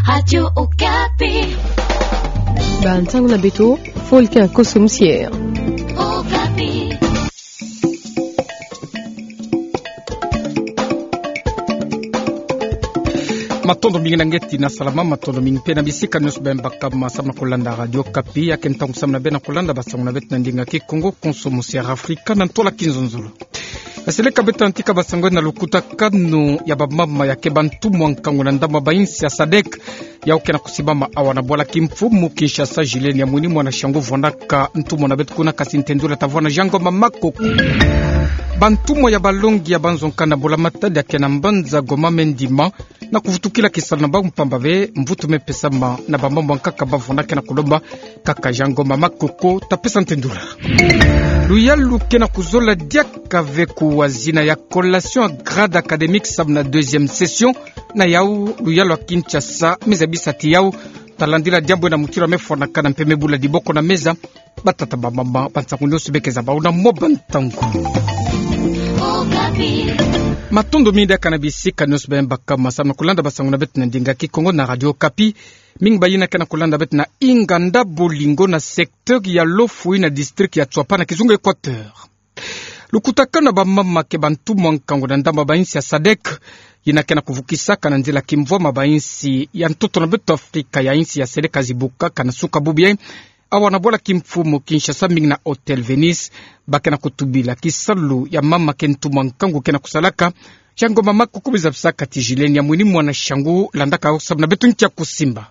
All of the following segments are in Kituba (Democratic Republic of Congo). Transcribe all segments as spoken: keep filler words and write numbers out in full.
Radio Okapi. Bantangu na beto, Volcan Koso Musiere. Okapi. Matondo mingi na ngeti na salama, matondo mingi mpe na bisika nionso beno baka ma samu na kolanda Radio Okapi. Ya ke ntangu samu na beno kolanda basango na beto na ndinga Kikongo, Koso Musiere Afrika, na ntola kinzonzolo. Aseleka beto antika basango na lukutakanu ya bamama ya ke bantumwa nkangu na ndambu ya bainsi ya sadek. Yau ke na kusimbama awa na bwala kimfumu Kinshasa, Julienne Yamwini mwana Shangu vwandaka ntumwa na beto kuna, kasi ntendula tavwanda Jean Ngoma Makoko. Bantumwa ya balongi ya banzo nkanda mbula matadi ya ke na mbanza Goma me ndima na kuvutukila kisalu na bau mpamba bê mvutu me pesama na bamama bankaka bavwandaka na kulomba. Kaka Jean Ngoma Makoko tapesa ntendula. Luyalu ke na kuzola diaka ve kuwa zina ya collation ya grade académique samu na deuxième session. Na yau luyalu ya Kinshasa me zabisa ti yau talandila diambu ena mutindu ya me fwanakana mpe me bula diboko na meza. Batata, bamama, bansangu nionso bê ke za bau na mwa bantangu. Matondo mingi diaka na bisika nionso beno baka ma samu na kolanda basango na beto na ndinga Kikongo na Radio Okapi. Mingi bayina ke na kolanda beto na inganda bolingo na secteur ya Lofoué na district ya Tsouapa na kizunga Équateur. Lukutakanu ya bamama ke bantumwa nkangu na ndambu ya bainsi ya sadek, yina ke na kuvukisaka na nzila kimvwama bainsi ya ntoto na beto Afrika ya insi ya seleka zibukaka na suka bubu yai. Awa na bwala kimfumu Kinshasa mingi na Hôtel Venise, ba ke na kutubila kisalu ya mama ke ntumwa nkangu ke na kusalaka. Jean Ngoma Makoko me zabisaka ti Julienne Yamwini mwana Shangu landaka yau samu na beto nkia kusimba.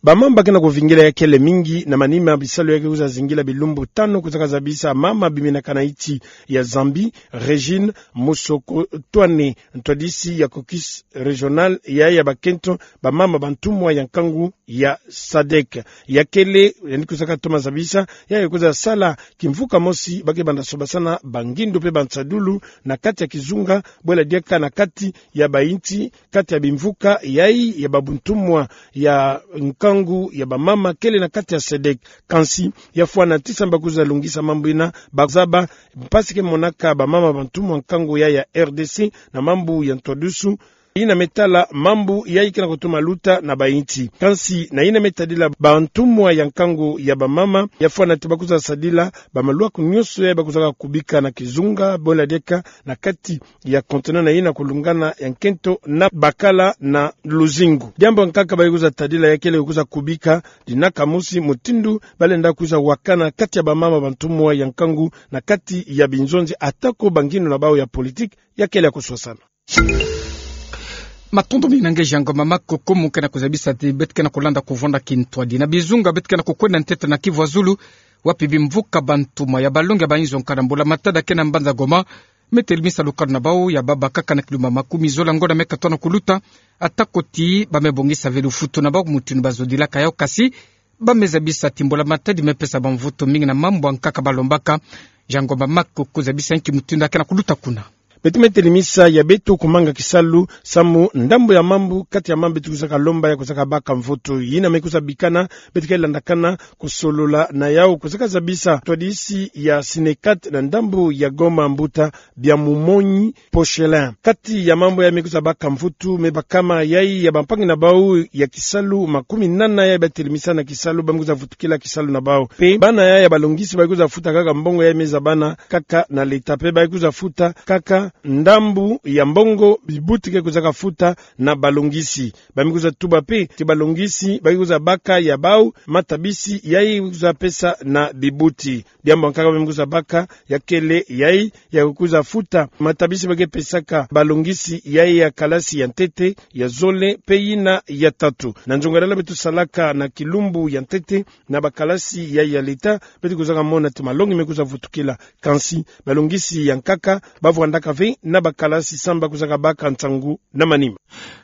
Bamama ba ke na kuvingila ya kele mingi na manima bisalu ya ke kwiza zingila bilumbu tanu kwizaka zabisa mama biminaka na insi ya Zambie, Régine Musokotwane, ntwadisi ya caucus régional ya ya bakento bamama bantumwa ya nkangu ya sadek. Ya kele, yandi kwizaka toma zabisa, ya ya kwiza sala kimvuka mosi ba ke banda sobasana bangindu mpe bansadulu na kati ya kizunga, bwela diaka na kati ya bainsi, kati ya bimvuka yai ya babuntumwa ya nkangu ya bamama kele na kati ya sadek. Kansi, ya fwana ti samu ba kwiza lungisa mambu yina, ba zaba mpasi ke monaka bamama bantumwa nkangu ya ya R D C na mambu ya ntwadusu, yina me tala mambu yai ke na kutoma luta na bainsi. Kansi, na yina me tadila bantumwa ya nkangu ya bamama, ya fwana ti ba kwiza sadila bamalwaku nionso yai ba kwizaka kubika na kizunga, bwela diaka na kati ya continent na yina kulungana ya nkento na bakala na luzingu. Diambu nkaka ba kwiza tadila ya kele kwiza kubika, dina kamusi mutindu ba lenda kwiza wakana kati ya bamama bantumwa ya nkangu na kati ya binzonzi, atako bangindu na bau ya politique ya kele ya kuswasana. Matondo mingi na nge Jean Ngoma Makoko, mu ke na kuzabisa ti beto ke na kulanda kuvwanda kintwadi na bizunga beto ke na kukwenda ntete na Kivu ya Zulu, wapi bimvuka bantumwa ya balongi ya bainzo nkanda mbula matadi ya ke na mbanza Goma me telimisa lukanu na bau ya baba kaka na kilumba makumi zola ngonda me katono kuluta, atako ti ba me bongisa ve lufutu na bau mutindu ba zodilaka yau, kasi ba me zabisa ti mbula matadi me pesa bamvutu mingi na mambu ya nkaka ba lombaka. Jean Ngoma Makoko, zabisa nki mutindu ya ke na kuluta kuna. Beto me telimisa ya beto kumanga kisalu, samu ndambu ya mambu, kati ya mambu beto kwizaka lomba ya kwizaka baka mvutu. Yina me kwiza bikana, beto ke landakana kusolola na yau, kwizaka zabisa ntwadisi ya Synecat na ndambu ya Goma, mbuta Biamumonyi Pochelin. Kati ya mambu yai me kwiza baka mvutu, me bakama yai ya bampangi na bau ya kisalu makumi nana yai ba telimisa na kisalu, ba me kwiza vutukila kisalu na bau. Mpe bana yai ya balongisi ba kwiza futa kaka mbongo yai me zabana kaka na leta, mpe ba kwiza futa kaka ndambu ya mbongo bibuti ke kwizaka futa na balongisi. Ba me kwiza tuba mpe ti balongisi ba kwiza baka ya bau matabisi yai kwiza pesa na bibuti. Diambu nkaka ba me kwiza baka ya kele yai ya kwiza futa matabisi ba ke pesaka balongisi yai ya kalasi ya ntete, ya zole mpe yina ya tatu. Na nzongadala beto salaka na kilumbu ya ntete na bakalasi yai ya leta, beto kwizaka mona ti malongi me kwiza vutukila. Kansi, balongisi ya nkaka ba vwandaka ve na bakalasi samu ba kwizaka baka nsangu na manima.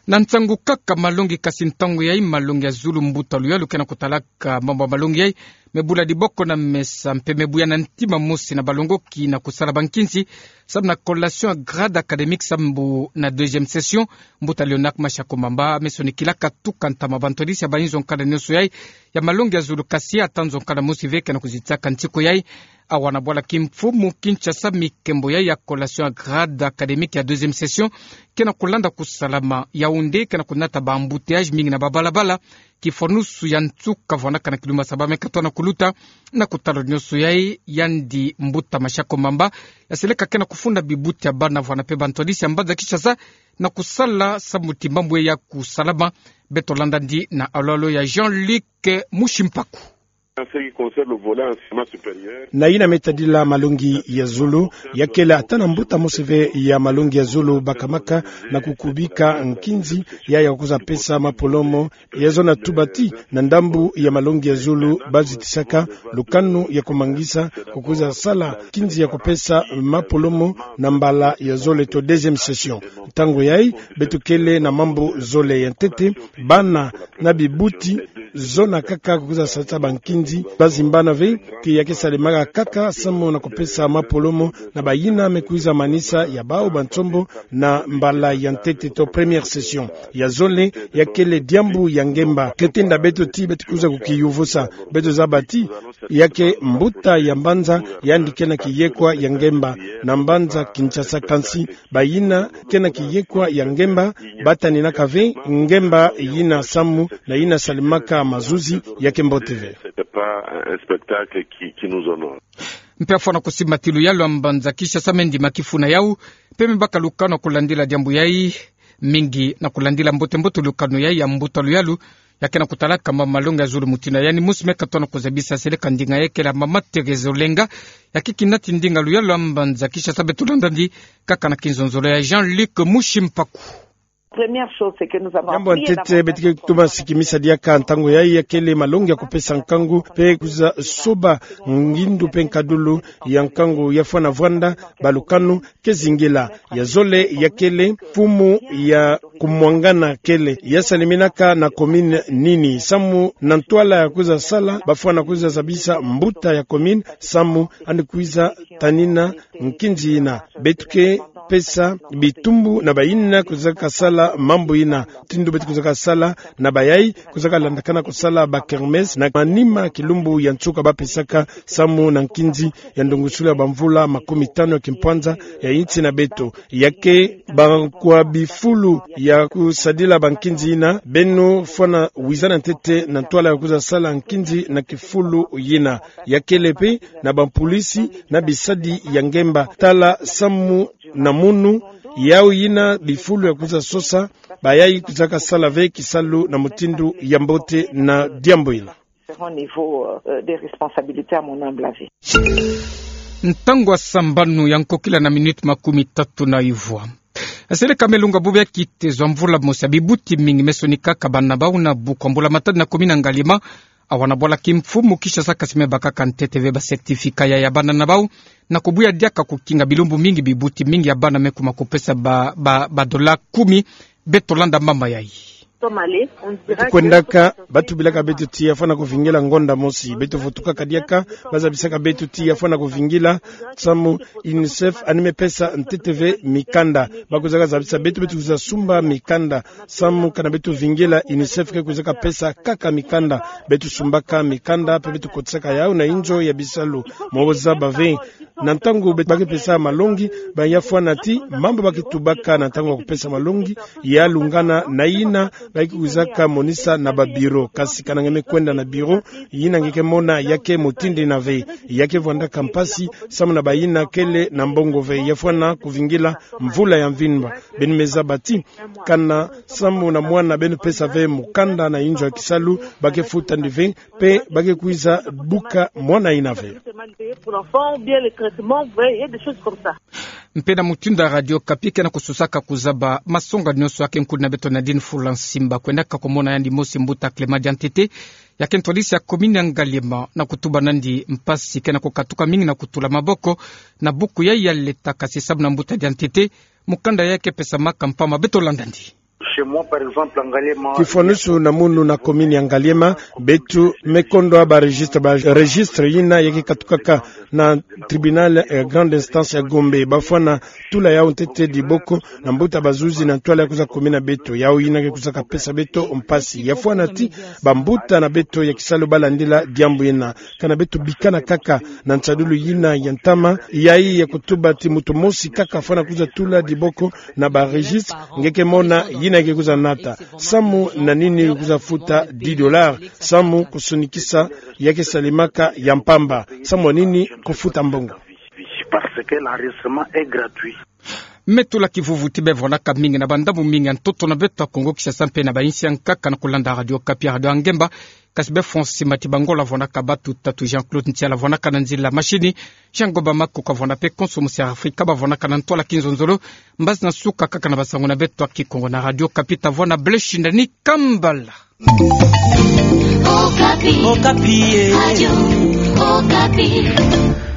Na nsangu kaka malongi, kasi ntangu yai malongi ya zulu, mbuta Luyalu ke na kutalaka mambu ya malongi yai me bula diboko na mesa mpe me buya na ntima mosi na balongoki na kusala bankinsi samu na collation ya grade académique samu na deuxième session. Mbuta Léonard Mashako Mamba me sonikilaka tuka ntama bantwadisi ya bainzo nkanda nionso yai ya malongi ya zulu, kasi ata nzo nkanda mosi ve ke na kuzitisaka ntiko yai. awa na bwala kimfumu Kinshasa, mikembo ya, ya collation ya grade académique ya deuxième session ke na kulanda kusalama. Yaoundé ke na kunata ba embouteillage mingi na babalabala, kifwanusu ya nsuka vwanaka na kilumba saba me katwa na kuluta. Na kutala nyonso yayi, yandi mbuta Mashako Mamba, ya seleka ke na kufunda bibuti ya bana vwana pe bantwadisi ya mbanza Kinshasa na kusala samu ti mambu ya kusalama. Beto landa ndi na alolo ya Jean-Luc Mushimpaku. En ce qui concerne le volet enseignement supérieur, na yina me tadila malongi ya zulu, ya kele ata na mbuta mosi ve ya malongi ya zulu bakamaka na kukubika nkinzi ya, ya kuza pesa mapolomo, ya zona tuba ti na ndambu ya malongi ya zulu bazitisaka lukanu ya kumangisa kukuza sala nkinzi ya kupesa mapolomo na mbala ya zole to deuxième session. Ntangu yayi, beto kele na mambu zole ya ntete, bana na bibuti zona kaka kukuza salisa bankinzi, bazimbana ve ti ya ke salemaka kaka samu na kupesa mapolomo na bayina me kuiza manisa ya bawu bansombo na mbala ya ntete to première session. Ya zole, ya kele diambu ya ngemba. Ke tinda beto ti beto kuiza kukiyuvusa. Beto zaba ti ya ke mbuta ya mbanza yandi ke na kiyekwa ya ngemba na mbanza Kinshasa, kansi bayina ke na kiyekwa ya ngemba bataninaka ve ngemba yina samu na yina salemaka mazuzi, ya ke mbote ve. C'était pas un spectacle qui, qui nous honore. Mpe afwana kusimba ti luyalu ya mbanza Kinshasa me ndima kifuna yawu, mpe me baka lukanu ya kulandila diambu yayi, mingi na kulandila mbote-mbote lukanu yayi ya mbuta luyalu, ya ke na kutalaka ma malongi ya zulu mutindu yandi mosi me katwa na kuzabisa seleka ndinga ya kele mama Thérèse Olenga, ya ke kinati ndinga luyalu ya mbanza Kinshasa. Beto landa ndi kaka na kinzonzolo ya Jean-Luc Mushimpaku. Première chose, c'est que nous avons appris. Diambu ya ntete beto ke tuma sikimisa diaka ntangu yayi ya kele malongi ya kupesa nkangu mpe kuza soba ngindu mpe nkadulu ya nkangu ya fwana vwanda balukanu ke zingila. Ya zole ya kele mfumu ya kumwangana kele ya saleminaka na commune nini samu na ntwala ya kuza sala bafwana kuza zabisa mbuta ya commune samu yandi kuiza tanina nkinzi yina. Beto ke pesa bitumbu na bayina kuiza kasala mambu yina. Mutindu beto kuiza kasala na bayayi kuiza kalandakana kusala ba kermesse na manima kilumbu ya nsuka bapesaka samu na nkinzi ya ndungusilu ya bamvula makumi tanu ya kimpwanza ya insi na beto. Ya ke bakwa bifulu ya kusadila bankinzi yina, beno fwana wizana ntete na ntwala ya kuiza sala nkinzi na kifulu yina. Ya kele mpe na bampulisi na bisadi ya ngemba tala samu na munu, yawu yina bifulu ya kuiza sosa bayayi kuiza kasala ve kisalu na mutindu ya mbote na diambu yina. Différents niveaux, euh, de responsabilité, à mon humble avis. Ntangu ya sambanu ya nkokila na minute makumi tatu na ivwa. Seleka me lunga bubu ya kitezo ya mvula mosi, bibuti mingi me sonikaka bana bawu na buku ya mbula matadi na commune ya Ngaliema, awa na bwala kimfumu Kinshasa, kansi me bakaka ntete ve ba certificat ya, ya bana na bawu. Na kubuya diaka kukinga, bilumbu mingi bibuti mingi ya bana me kuma kupesa ba, ba, ba dola kumi. Beto landa mama yayi. Beto kwendaka, batubilaka beto ti ya fwana kuvingila ngonda mosi. Beto vutukaka diaka, bazabisaka beto ti ya fwana kuvingila, samu UNICEF yandi me pesa ntete ve mikanda. Bakuizaka zabisa beto, beto kuiza sumba mikanda. Samu kana beto vingila, UNICEF ke kuizaka pesa kaka mikanda. Beto sumbaka mikanda, mpe beto kotisaka yawu na inzo ya bisalu. Mbo zaba ve, na ntangu beto ba ke pesa malongi, ba ya fwana ti mambu ba ke tubaka na ntangu ya kupesa malongi ya lungana na yina ba ke kuizaka monisa na ba bureau. Kansi kana nge me kwenda na bureau, yina nge ke mona ya ke mutindu yina ve. Ya ke vwandaka mpasi samu na bayina kele na mbongo ve. Ya fwana kuvingila mvula ya mvimba. Beno me zaba ti kana samu na mwana beno pesa ve mukanda na inzo ya kisalu, ba ke futa ndi ve, mpe ba ke kuiza buka mwana yina ve. Mpe na mutindu ya Radio Okapi ke na kususaka kuzaba masonga nyonso, ya ke nkulu na beto Nadine Fula Nsimba kwendaka kumona yandi mosi mbuta Clément Diantete, ya ke ntwadisi ya commune ya Ngaliema, na kutuba nandi mpasi ke na kukatuka mingi na kutula maboko na buku ya, ya leta, kansi samu na mbuta Diantete, mukanda ya ke pesamaka mpamba. Beto landa ndi. Chez moi, par exemple, en Ngaliema, kifwanusu na munu na commune ya Ngaliema, beto me kondwa ba registre, ba registre yina yaki katukaka na tribunal ya grande instance ya Gombe. Bafwana tula yau ntete diboko na mbuta bazuzi na ntwala ya kwiza kumina beto. Yau yina ke kwiza kapesa beto mpasi. Ya fwana ti bambuta na beto ya kisalu balandila diambu yina. Kana beto bikana kaka na nsadulu yina ya ntama, yayi ya kutuba ti muntu mosi kaka fwana kwiza tula diboko na ba registre, nge ke mona yina ke kwiza nata. Samu na nini kwiza futa dix dollars? Samu kusonikisa ya ke salemaka ya mpamba. Samu na nini kufuta mbongo? Parce que l'enregistrement est gratuit. Me tula kivuvu ti bevonaka mingi na bandambu mingi ya ntoto na beto ya Kongo Kinshasa mpe na bainsi ya nkaka na kulanda Radio Okapi, Radio ya ngemba. Kasi be François Matibangola avonaka batuta, Jean-Claude Ntiala avonaka na nzila machine, Jean Goba Makoko avona mpe konso musi ya Afrika bavonaka na ntwala kinzonzolo. Mbazi na suka kaka na basango na beto ya Kikongo na Radio Okapi, tavona Blaise Shindani Kambala. Okapi. Okapi, eh. Radio Okapi.